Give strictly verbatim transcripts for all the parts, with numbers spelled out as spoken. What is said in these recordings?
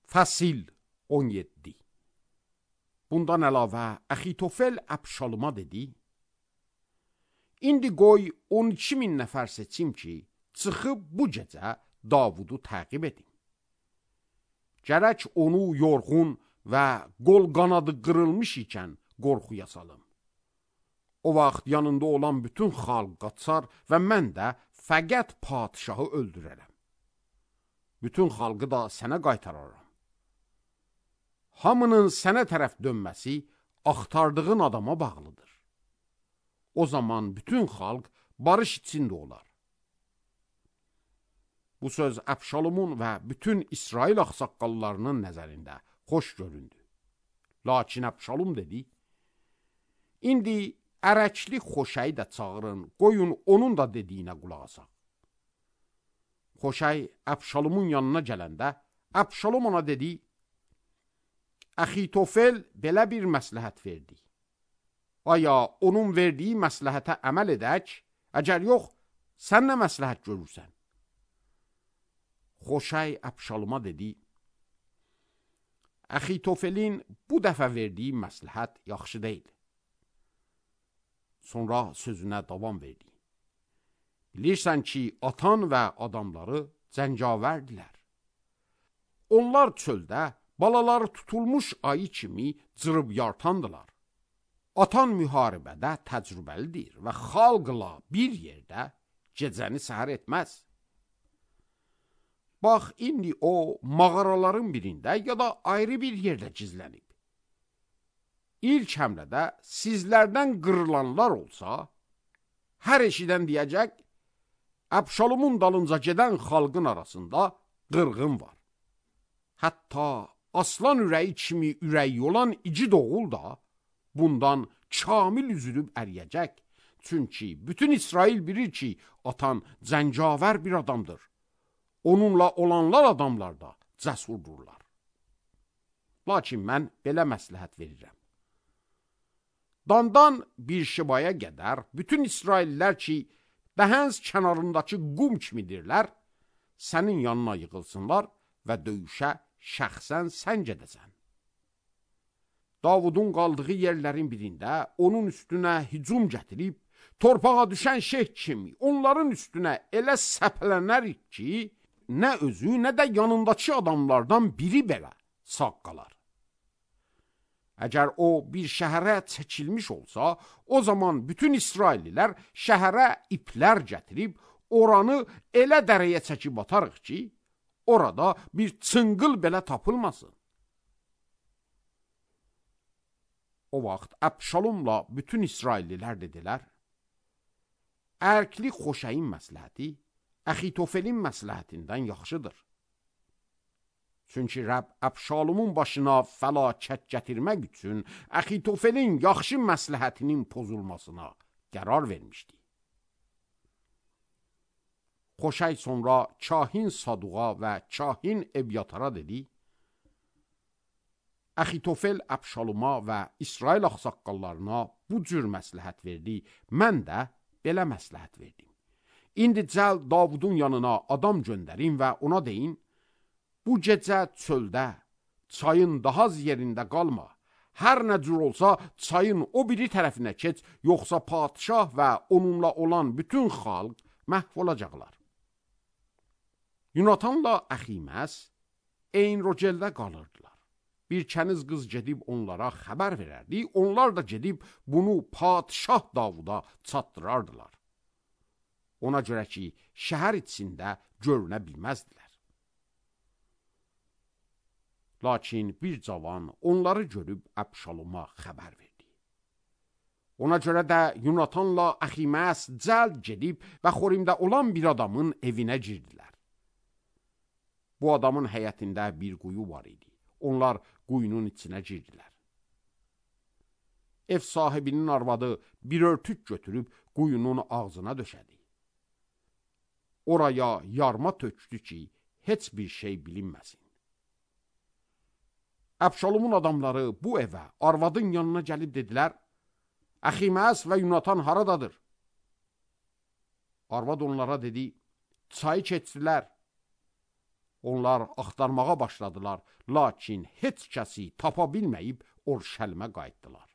Fəsil on yeddi. Bundan əlavə Əxitofel Əbşaluma dedi: İndi qoy on iki min nəfər seçim ki, çıxıb bu gecə Davudu təqib edin. Gərək onu yorğun və qol qanadı qırılmış ikən qorxuya salım. O vaxt yanında olan bütün xalq qaçar və mən də fəqət padişahı öldürərəm. Bütün xalqı da sənə qaytararam. Hamının sənə tərəf dönməsi axtardığın adama bağlıdır. O zaman bütün xalq barış içində olar. Bu söz Əbşalumun və bütün İsrail ağsaqqallarının nəzərində xoş göründü. Lakin Əbşalum dedi: İndi ərəkli Xoşəyi də çağırın, qoyun onun da dediyinə qulaq asaq. Xoşəy Əbşalumun yanına gələndə Əbşalum ona dedi: Əxitofel belə bir məsləhət verdi. Aya onun verdiyi məsləhətə əməl edək, əgər yox, sən nə məsləhət görürsən? Xoşəy Əbşaluma dedi: Əxitofelin bu dəfə verdiyi məsləhət yaxşı deyil. Sonra sözünə davam verdi. Bilirsən ki, atan və adamları cəngavərdilər. Onlar çöldə balaları tutulmuş ayı kimi cırıb yartandılar. Atan müharibədə təcrübəlidir və xalqla bir yerdə gecəni səhər etməz. Bax, indi o mağaraların birində ya da ayrı bir yerdə gizlənib. İlk həmlədə sizlərdən qırılanlar olsa, hər eşidən deyəcək, Əbşalumun dalınca gedən xalqın arasında qırğın var. Hətta aslan ürəyi kimi ürəyi olan igid oğul da bundan kamil üzülüb əriyəcək. Çünki bütün İsrail bilir ki, atan cəngavər bir adamdır. Onunla olanlar adamlar da cəsurdurlar. Lakin mən belə məsləhət verirəm. Dandan bir şibaya qədər bütün İsraillər ki, Dəhəns kənarındakı qum kimidirlər, sənin yanına yığılsınlar və döyüşə şəxsən sən gedəsən. Davudun qaldığı yerlərin birində onun üstünə hücum gətirib, torpağa düşən şeyh kimi onların üstünə elə səpələnərik ki, nə özü, nə də yanındakı adamlardan biri belə sağ qalar. Əgər o bir şəhərə çəkilmiş olsa, o zaman bütün İsraillilər şəhərə iplər gətirib, oranı elə dərəyə çəkib atarıq ki, orada bir çınqıl belə tapılmasın. O vaxt Əbşalumla bütün İsraillilər dedilər: Ərkli Xoşəyin məsləhəti Əxitofelin məsləhətindən yaxşıdır. Çünki Rəbb Əbşalumun başına fəlakət gətirmək üçün Əxitofelin yaxşı məsləhətinin pozulmasına qərar vermişdi. Xoşəy sonra kahin Saduğa və kahin Ebyatara dedi: Əxitofel Əbşaluma və İsrail ağsaqqallarına bu cür məsləhət verdi, mən də belə məsləhət verdim. İndi cəld Davudun yanına adam göndərin və ona deyin: Bu gecə çöldə, çayın daha az yerində qalma. Hər nə cür olsa çayın o biri tərəfinə keç, yoxsa padişah və onunla olan bütün xalq məhv olacaqlar. Yunatanla Əximəs Eyn-Rogeldə qalırdılar. Bir kəniz qız gedib onlara xəbər verərdi, onlar da gedib bunu padişah Davuda çatdırardılar. Ona görə ki, şəhər içində görünə bilməzdilər. Lakin bir cavan onları görüb Əbşaluma xəbər verdi. Ona görə də Yunatanla Əximəs cəld gedib və Xorimdə olan bir adamın evinə girdilər. Bu adamın həyətində bir quyu var idi. Onlar quyunun içinə girdilər. Ev sahibinin arvadı bir örtük götürüb quyunun ağzına döşədi. Oraya yarma tökdü ki, heç bir şey bilinməsin. Əbşalumun adamları bu evə, arvadın yanına gəlib dedilər: Əximəs və Yunatan haradadır? Arvad onlara dedi: Çayı keçdilər. Onlar axtarmağa başladılar, lakin heç kəsi tapa bilməyib Orşəlimə qayıtdılar.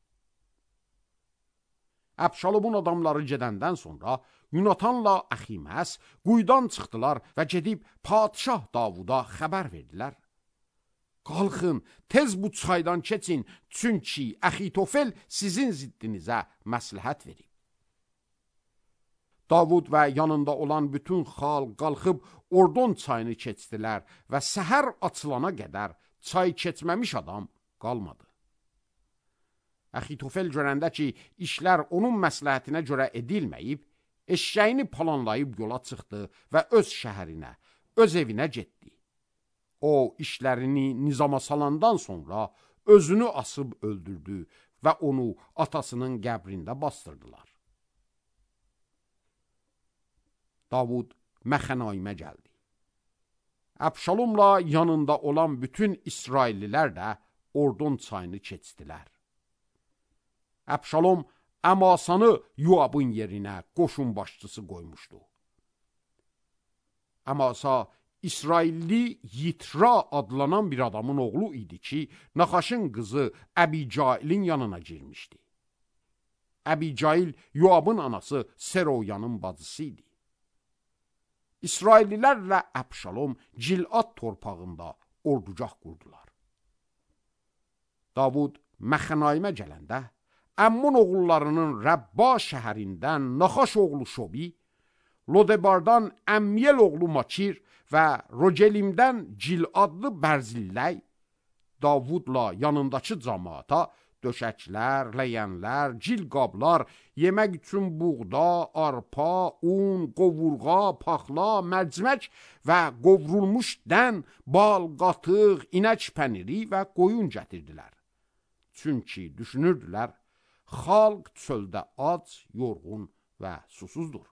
Əbşalomun adamları gedəndən sonra Yunatanla Əximəs quyudan çıxdılar və gedib padişah Davuda xəbər verdilər. Qalxın, tez bu çaydan keçin, çünki Əxitofel sizin ziddinizə məsləhət verib. Davud və yanında olan bütün xalq qalxıb Ordon çayını keçdilər və səhər açılana qədər çay keçməmiş adam qalmadı. Əxitofel görəndə ki, işlər onun məsləhətinə görə edilməyib, eşşəyini planlayıb yola çıxdı və öz şəhərinə, öz evinə getdi. O, işlərini nizama salandan sonra özünü asıb öldürdü və onu atasının qəbrində bastırdılar. Davud Məxənaimə gəldi. Əbşalomla yanında olan bütün İsraillilər də Ordon çayını keçdilər. Əbşalom Əmasanı Yoabın yerinə qoşun başçısı qoymuşdu. Əmasa İsrailli Yitra adlanan bir adamın oğlu idi ki, Naxaşın qızı Əbicailin yanına girmişdi. Əbicail Yoabın anası Seroyanın bacısı idi. İsraillilərlə Əbşalom Cilad torpağında ordugah qurdular. Davud Məxənaimə gələndə, Əmmun oğullarının Rəbba şəhərindən Naxaş oğlu Şobi, Lodebardan Əmmiyel oğlu Makir və Rogelimdən Ciladlı Bərzilləy, Davudla yanındakı cəmaata döşəklər, ləyənlər, cilqablar, yemək üçün buğda, arpa, un, qovurğa, paxla, mərcimək və qovrulmuş dən, bal, qatıq, inək pəniri və qoyun gətirdilər. Çünki düşünürdülər, xalq çöldə ac, yorğun və susuzdur.